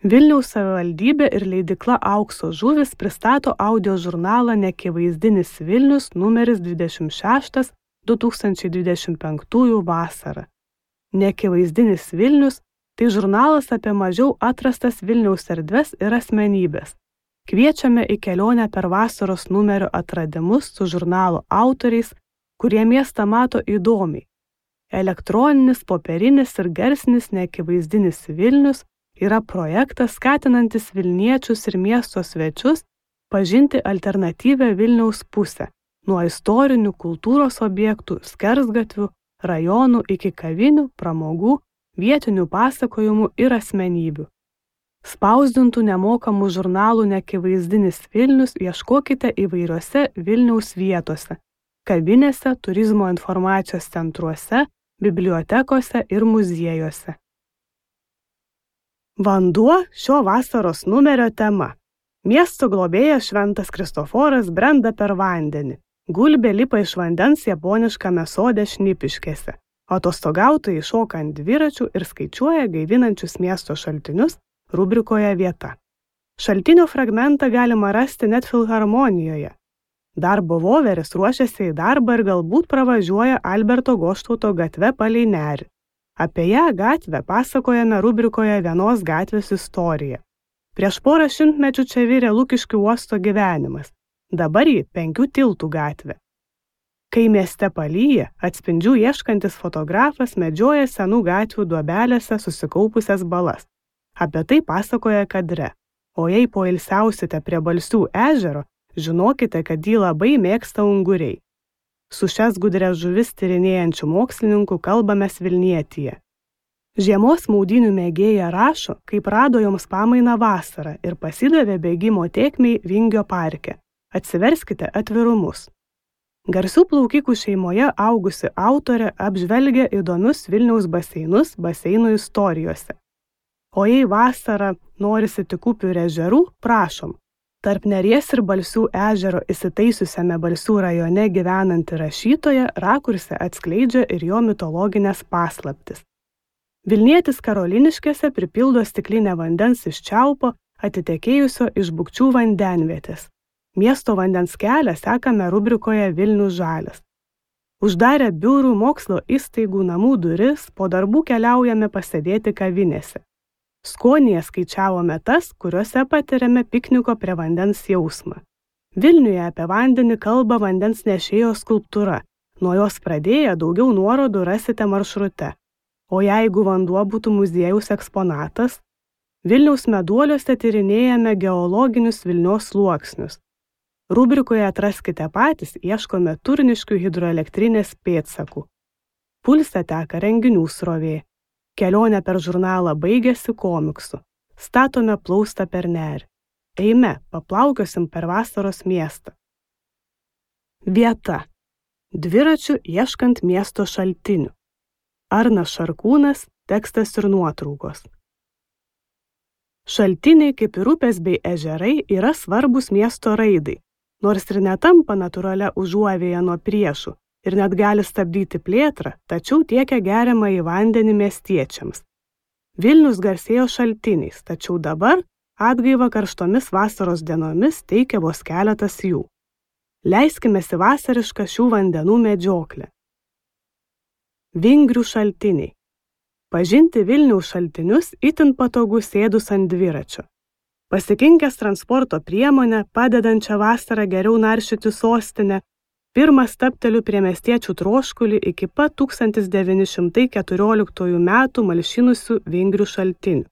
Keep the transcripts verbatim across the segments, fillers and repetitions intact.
Vilniaus savivaldybė ir leidykla Aukso žuvys pristato audio žurnalą Neakivaizdinis Vilnius numeris dvidešimt šeštas du tūkstančiai dvidešimt penktųjų vasara. Neakivaizdinis Vilnius – tai žurnalas apie mažiau atrastas Vilniaus erdves ir asmenybės. Kviečiame į kelionę per vasaros numerio atradimus su žurnalo autoriais, kurie miestą mato įdomiai. Elektroninis, popierinis ir garsinis Neakivaizdinis Vilnius yra projektas skatinantis Vilniečius ir miesto svečius pažinti alternatyvią Vilniaus pusę, nuo istorinių kultūros objektų, skersgatvių, rajonų iki kavinių, pramogų, vietinių pasakojimų ir asmenybių. Spausdintų nemokamų žurnalų Neakivaizdinis Vilnius ieškokite įvairiose Vilniaus vietose, kavinėse, turizmo informacijos centruose, bibliotekose ir muziejuose. Vanduo šio vasaros numerio tema. Miesto globėjas Šventas Kristoforas brenda per vandenį. Gulbė lipa iš vandens japoniškame sode Šnipiškėse. Atostogautojai šoka ant dviračių ir skaičiuoja gaivinančius miesto šaltinius rubrikoje Vieta. Šaltinio fragmentą galima rasti net filharmonijoje. Darbo voveris ruošiasi į darbą ir galbūt pravažiuoja Alberto Goštauto gatve palei nerį. Apie ją gatvę pasakojame rubrikoje Vienos gatvės istorija. Prieš porą šimtmečių čia virė Lukiškių uosto gyvenimas. Dabar ji Penkių tiltų gatvė. Kai mieste palyja, atspindžių ieškantis fotografas medžioja senų gatvių duobelėse susikaupusias balas. Apie tai pasakoja kadre. O jei poilsiausite prie Balsių ežero, žinokite, kad jį labai mėgsta unguriai. Su šias gudrias žuvis tyrinėjančių mokslininkų kalbamės Vilnietyje. Žiemos maudynių mėgėja rašo, kaip rado joms pamainą vasarą ir pasidavė bėgimo tėkmei Vingio parke. Atsiverskite atvirumus. Garsių plaukikų šeimoje augusi autorė apžvelgia įdomius Vilniaus baseinus baseinų istorijose. O jei vasarą norisi tik upių ir ežerų, prašom. Tarp Neries ir Balsių ežero įsitaisiusiame Balsių rajone gyvenanti rašytoja rakurse atskleidžia ir jo mitologinės paslaptis. Vilnietis Karoliniškėse pripildo stiklinę vandens iš čiaupo, atitekėjusio iš Bukčių vandenvietės. Miesto vandens kelią sekame rubrikoje Vilnius žalias. Uždarę biurų, mokslo įstaigų namų duris, po darbų keliaujame pasėdėti kavinėse. Skonyje skaičiavome tas, kuriuose patiriame pikniko prie vandens jausmą. Vilniuje apie vandenį kalba vandens nešėjo skulptūra. Nuo jos pradėję daugiau nuorodų rasite maršrute. O jeigu vanduo būtų muziejaus eksponatas, Vilniaus meduoliuose tyrinėjame geologinius Vilnios sluoksnius. Rubrikoje Atraskite patys ieškome Turniškių hidroelektrinės pėdsakų. Pulse teka renginių srovė. Kelionė per žurnalą baigėsi komiksu. Statome plaustą per nerį. Eime, paplaukiosim per vasaros miestą. Vieta. Dviračių ieškant miesto šaltinių. Arnas Šarkūnas, tekstas ir nuotraukos. Šaltiniai, kaip ir upės bei ežerai, yra svarbus miesto raidai, nors ir netampa natūralia užuovėja nuo priešų ir net gali stabdyti plėtrą, tačiau tiekia geriamą į vandenį miestiečiams. Vilnius garsėjo šaltiniais, tačiau dabar atgaiva karštomis vasaros dienomis teikia vos keletas jų. Leiskimės į vasarišką šių vandenų medžioklę. Vingrių šaltiniai. Pažinti Vilniaus šaltinius itin patogu sėdus ant dviračio. Pasikinkęs transporto priemonę, padedančią vasarą geriau naršyti sostinę, pirmas stabteliu prie miestiečių troškulį iki pat tūkstantis devyni šimtai keturioliktųjų metų malšinusių Vingrių šaltinių.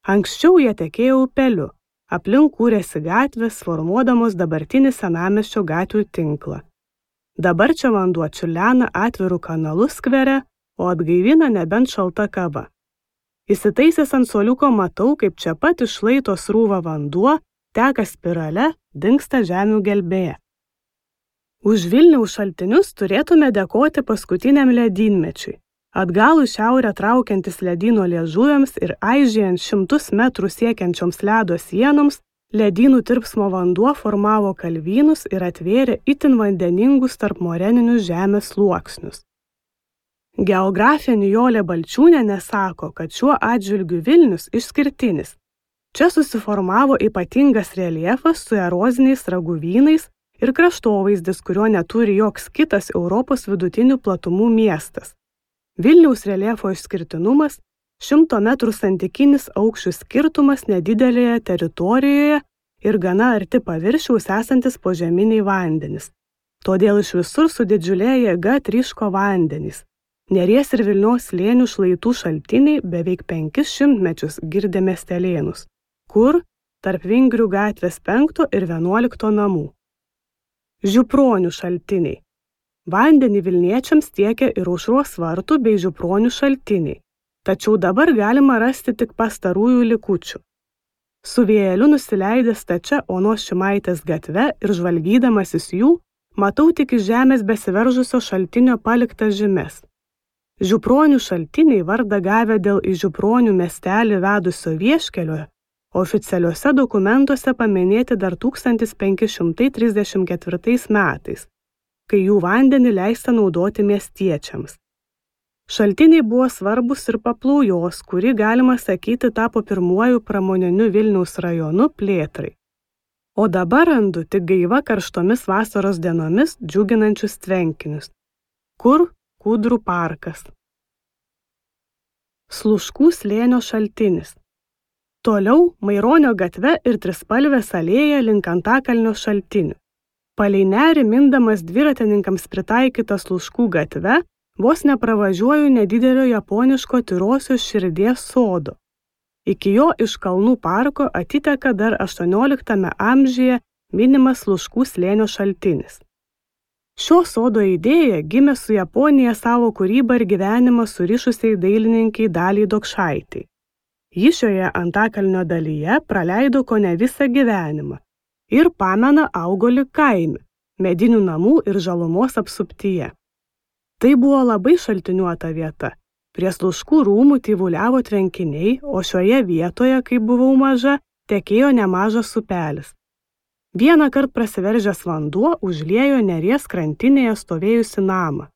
Anksčiau jie tekėjo upeliu, aplink kūrėsi gatvės, formuodamos dabartinį senamiesčio gatvių tinklą. Dabar čia vanduo čiurlena atvirų kanalų skvere, o atgaivina nebent šalta kava. Įsitaisęs ant suoliuko matau, kaip čia pat iš šlaito srūva vanduo, teka spirale, dingsta žemių gelbėje. Už Vilniaus šaltinius turėtume dėkoti paskutiniam ledynmečiui. Atgal į šiaurę traukiantis ledyno liežuviams ir aižėjant šimtus metrų siekiančioms ledo sienoms, ledynų tirpsmo vanduo formavo kalvynus ir atvėrė itin vandeningus tarpmoreninius žemės sluoksnius. Geografė Nijolė Balčiūnienė sako, kad šiuo atžvilgiu Vilnius išskirtinis, Čia susiformavo ypatingas reljefas su eroziniais raguvynais ir kraštovaizdis, kurio neturi joks kitas Europos vidutinių platumų miestas. Vilniaus reljefo išskirtinumas – šimto metrų santykinis aukščių skirtumas nedidelėje teritorijoje ir gana arti paviršiaus esantis požeminiai vandenys. Todėl iš visur su didžiulė jėga tryško vandenys. Neries ir Vilnios slėnių šlaitų šaltiniai beveik penkis šimtmečius girdė miestelėnus, kur tarp Vingrių gatvės penkto ir vienuolikto namų. Žiupronių šaltiniai. Vandenį Vilniečiams tiekia ir Aušros vartų bei Žiupronių šaltiniai, tačiau dabar galima rasti tik pastarųjų likučių. Su vėjeliu nusileidęs stačia Onos Šimaitės gatve ir žvalgydamasis jų, matau tik iš žemės besiveržusio šaltinio paliktas žymes. Žiupronių šaltiniai vardą gavę dėl į Žiupronių miestelį vedusio vieškelio, oficialiuose dokumentuose paminėti dar tūkstantis penki šimtai trisdešimt ketvirtais metais, kai jų vandenį leista naudoti miestiečiams. Šaltiniai buvo svarbus ir Paplaujos, kuri, galima sakyti, tapo pirmuoju pramoniniu Vilniaus rajonu plėtrai. O dabar randu tik gaiva karštomis vasaros dienomis džiuginančius tvenkinius. Kur Kūdrų parkas. Sluškų slėnio šaltinis. Toliau Maironio gatve ir Trispalvės alėja link Antakalnio šaltinių. Palei nerį mindamas dviratininkams pritaikytą Sluškų gatve, vos nepravažiuoju nedidelio japoniško Tyrosios širdies sodo. Iki jo iš Kalnų parko atiteka dar aštuonioliktame amžiuje minimas Sluškų slėnio šaltinis. Šio sodo idėja gimė su Japonija savo kūrybą ir gyvenimą surišusiai dailininkai Daliai Dokšaitei. Ji šioje Antakalnio dalyje praleido kone visą gyvenimą ir pamena augo lyg kaime, medinių namų ir žalumos apsuptyje. Tai buvo labai šaltiniuota vieta. Prie Sluškų rūmų tyvuliavo tvenkiniai, o šioje vietoje, kai buvau maža, tekėjo nemažas upelis. Vieną kart prasiveržęs vanduo užliejo Neries krantinėje stovėjusi namą.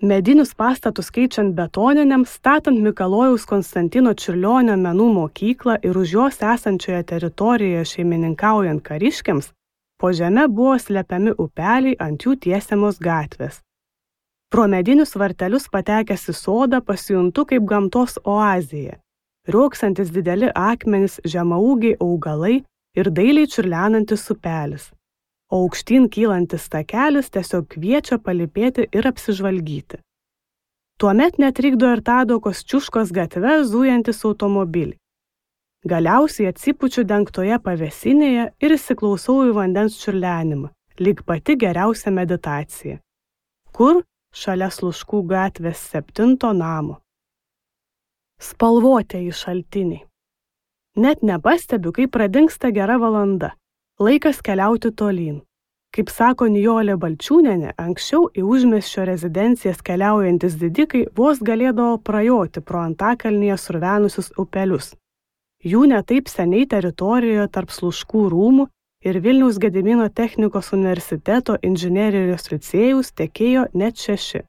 Medinius pastatus keičiant betoniniams, statant Mikalojaus Konstantino Čiurlionio menų mokyklą ir už jos esančioje teritorijoje šeimininkaujant kariškiams, po žeme buvo slepiami upeliai ant jų tiesiamos gatvės. Pro medinius vartelius patekęs į sodą pasijuntu kaip gamtos oazėje. Rioksantis dideli akmenys, žemaūgiai augalai ir dailiai čiurlenantis upelis. O aukštyn kylantis takelis tiesiog kviečia palypėti ir apsižvalgyti. Tuomet netrikdo ir Tadokos Čiuškos gatve zujantis automobiliai. Galiausiai atsipučiu dengtoje pavėsinėje ir įsiklausau į vandens čiurlenimą, lyg pati geriausia meditacija. Kur? Šalia Sluškų gatvės septinto namo. Spalvotieji šaltiniai. Net nepastebiu, kaip pradingsta gera valanda. Laikas keliauti tolyn. Kaip sako Nijolė Balčiūnienė, anksčiau į užmiesčio rezidencijas keliaujantis didikai vos galėdavo prajoti pro Antakalnyje survenusius upelius. Jų netaip seniai teritorijoje tarp Sluškų rūmų ir Vilniaus Gedimino technikos universiteto inžinerijos licėjaus tekėjo net šeši.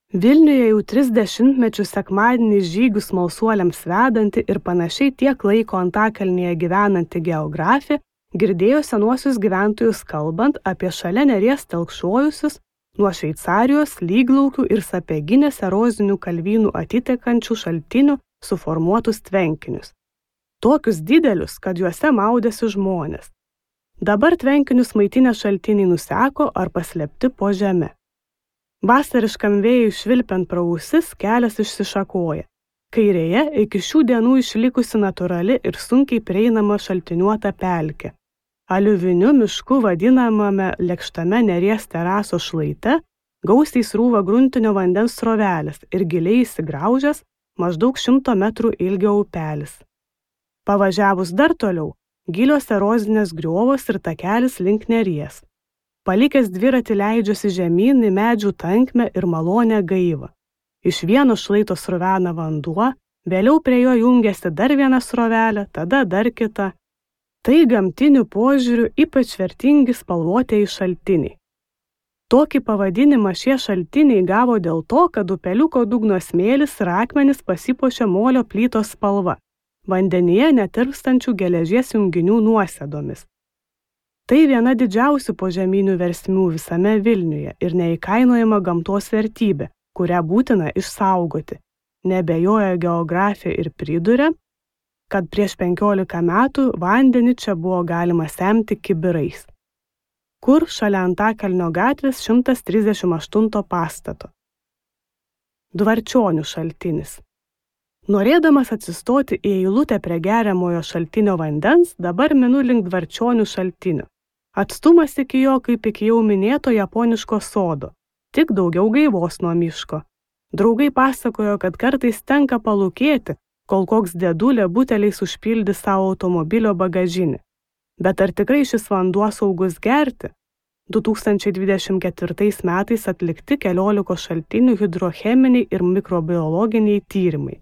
Vilniuje jau tris dešimtmečius sekmadienį žygių smalsuoliams vedanti ir panašiai tiek laiko Antakalnyje gyvenanti geografė girdėjo senuosius gyventojus kalbant apie šalia Neries telkšojusius nuo Šveicarijos, Lyglaukių ir Sapieginės erozinių kalvynų atitekančių šaltinių suformuotus tvenkinius. Tokius didelius, kad juose maudėsi žmonės. Dabar tvenkinius maitinę šaltiniai nuseko ar paslėpti po žeme. Vasariškam vėjui švilpiant pro ausis kelias išsišakoja. Kairėje iki šių dienų išlikusi natūrali ir sunkiai prieinama šaltiniuota pelkė. Aliuviniu mišku vadinamame lėkštame Neries teraso šlaite gausiai srūva gruntinio vandens srovelės ir giliai įsigraužęs maždaug šimto metrų ilgio upelis. Pavažiavus dar toliau, gilios erozinės griovos ir takelis link Neries. Palikęs dviratį leidžiuosi žemyn į medžių tankmę ir malonę gaivą. Iš vieno šlaito srovena vanduo, vėliau prie jo jungiasi dar viena srovelė, tada dar kita. Tai gamtiniu požiūriu ypač vertingi spalvotieji šaltiniai. Tokį pavadinimą šie šaltiniai gavo dėl to, kad upeliuko dugno smėlis ir akmenys pasipuošia molio plytos spalva, vandenyje netirpstančių geležies junginių nuosėdomis. Tai viena didžiausių požeminių versmių visame Vilniuje ir neįkainojama gamtos vertybė, kurią būtina išsaugoti. Neabejoja geografija ir priduria, kad prieš penkiolika metų vandenį čia buvo galima semti kibirais. Kur šalia Antakalnio gatvės šimtas trisdešimt aštunto pastato. Dvarčionių šaltinis. Norėdamas atsistoti į eilutę prie geriamojo šaltinio vandens, dabar minu link Dvarčionių šaltinio. Atstumas iki jo kaip iki jau minėto japoniško sodo, tik daugiau gaivos nuo miško. Draugai pasakojo, kad kartais tenka palūkėti, kol koks dėdulė buteliais užpildi savo automobilio bagažinį. Bet ar tikrai šis vanduo saugus gerti? du tūkstančiai dvidešimt ketvirtais metais atlikti keliolikos šaltinių hidrocheminiai ir mikrobiologiniai tyrimai.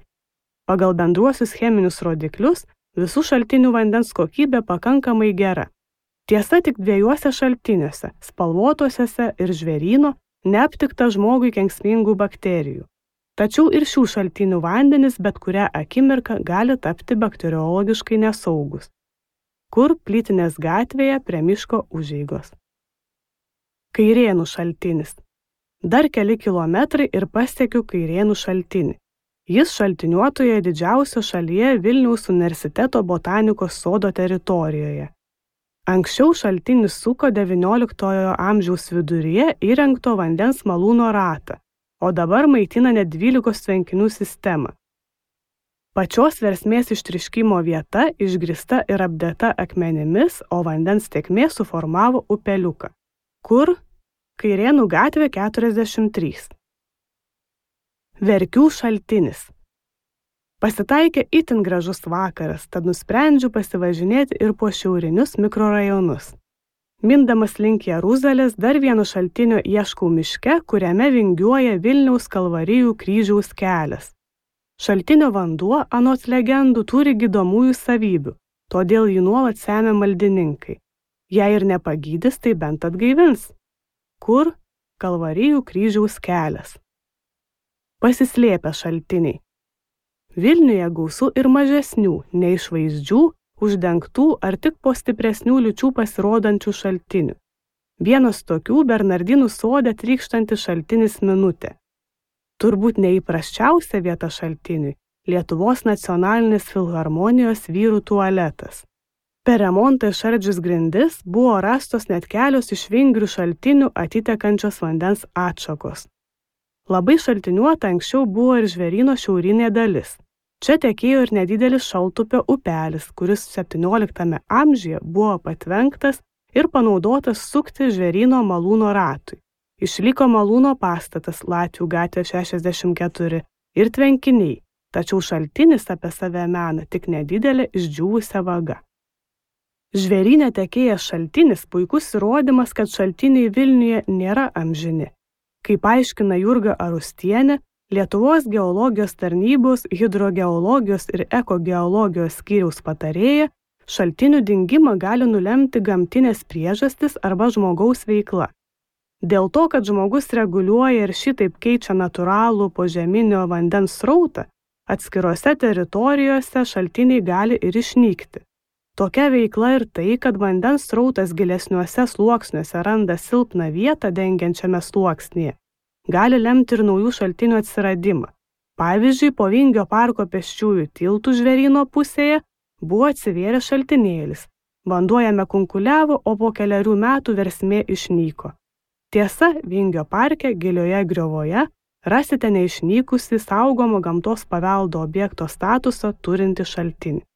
Pagal bendruosius cheminius rodiklius visų šaltinių vandens kokybė pakankamai gera. Tiesa, tik dviejuose šaltiniuose, spalvotosiuose ir žvėryno, neaptikta žmogui kenksmingų bakterijų. Tačiau ir šių šaltinių vandenys bet kurią akimirką gali tapti bakteriologiškai nesaugus. Kur Plytinės gatvėje prie miško užeigos. Kairėnų šaltinis. Dar keli kilometrai ir pasiekiu Kairėnų šaltinį. Jis šaltiniuotoje didžiausio šalyje Vilniaus universiteto botanikos sodo teritorijoje. Anksčiau šaltinis suko devynioliktojo amžiaus viduryje įrengto vandens malūno ratą, o dabar maitina net dvylikos tvenkinių sistemą. Pačios versmės ištriškimo vieta išgrįsta ir apdėta akmenimis, o vandens tėkmė suformavo upeliuką. Kur? Kairėnų gatvė keturiasdešimt trys. Verkių šaltinis. Pasitaikė itin gražus vakaras, tad nusprendžiu pasivažinėti ir po šiaurinius mikrorajonus. Mindamas link Jeruzalės dar vieno šaltinio ieškau miške, kuriame vingiuoja Vilniaus Kalvarijų kryžiaus kelias. Šaltinio vanduo, anot legendų, turi gydomųjų savybių, todėl jį nuolat semia maldininkai. Jei ir nepagydys, tai bent atgaivins. Kur? Kalvarijų kryžiaus kelias. Pasislėpę šaltiniai. Vilniuje gausu ir mažesnių, neišvaizdžių, uždengtų ar tik po stipresnių liūčių pasirodančių šaltinių. Vienas tokių Bernardinų sode trykštantis šaltinis Minutė. Turbūt neįprasčiausia vieta šaltiniui – Lietuvos nacionalinės filharmonijos vyrų tualetas. Per remontą išardžius grindis buvo rastos net kelios iš vingrių šaltinių atitekančios vandens atšakos. Labai šaltiniuota anksčiau buvo ir Žvėryno šiaurinė dalis. Čia tekėjo ir nedidelis Šaltupio upelis, kuris septynioliktame amžiuje buvo patvenktas ir panaudotas sukti Žvėryno malūno ratui. Išliko malūno pastatas Latvių gatvė šešiasdešimt keturi ir tvenkiniai, tačiau šaltinis apie save mena tik nedidelė išdžiūvusią vagą. Žvėryne tekėjęs šaltinis puikus įrodymas, kad šaltiniai Vilniuje nėra amžini. Kaip aiškina Jurga Arustienė, Lietuvos geologijos tarnybos, hidrogeologijos ir ekogeologijos skyriaus patarėja, šaltinių dingimą gali nulemti gamtinės priežastis arba žmogaus veikla. Dėl to, kad žmogus reguliuoja ir šitaip keičia natūralų požeminio vandens srautą, atskirose teritorijose šaltiniai gali ir išnykti. Tokia veikla ir tai, kad vandens srautas gilesniuose sluoksniuose randa silpną vietą dengiančiame sluoksnyje, gali lemti ir naujų šaltinių atsiradimą. Pavyzdžiui, po Vingio parko pėsčiųjų tiltų Žvėryno pusėje buvo atsivėręs šaltinėlis. Vanduo jame kunkuliavo, o po kelerių metų versmė išnyko. Tiesa, Vingio parke gilioje griovoje rasite neišnykusi saugomo gamtos paveldo objekto statusą turintį šaltinį.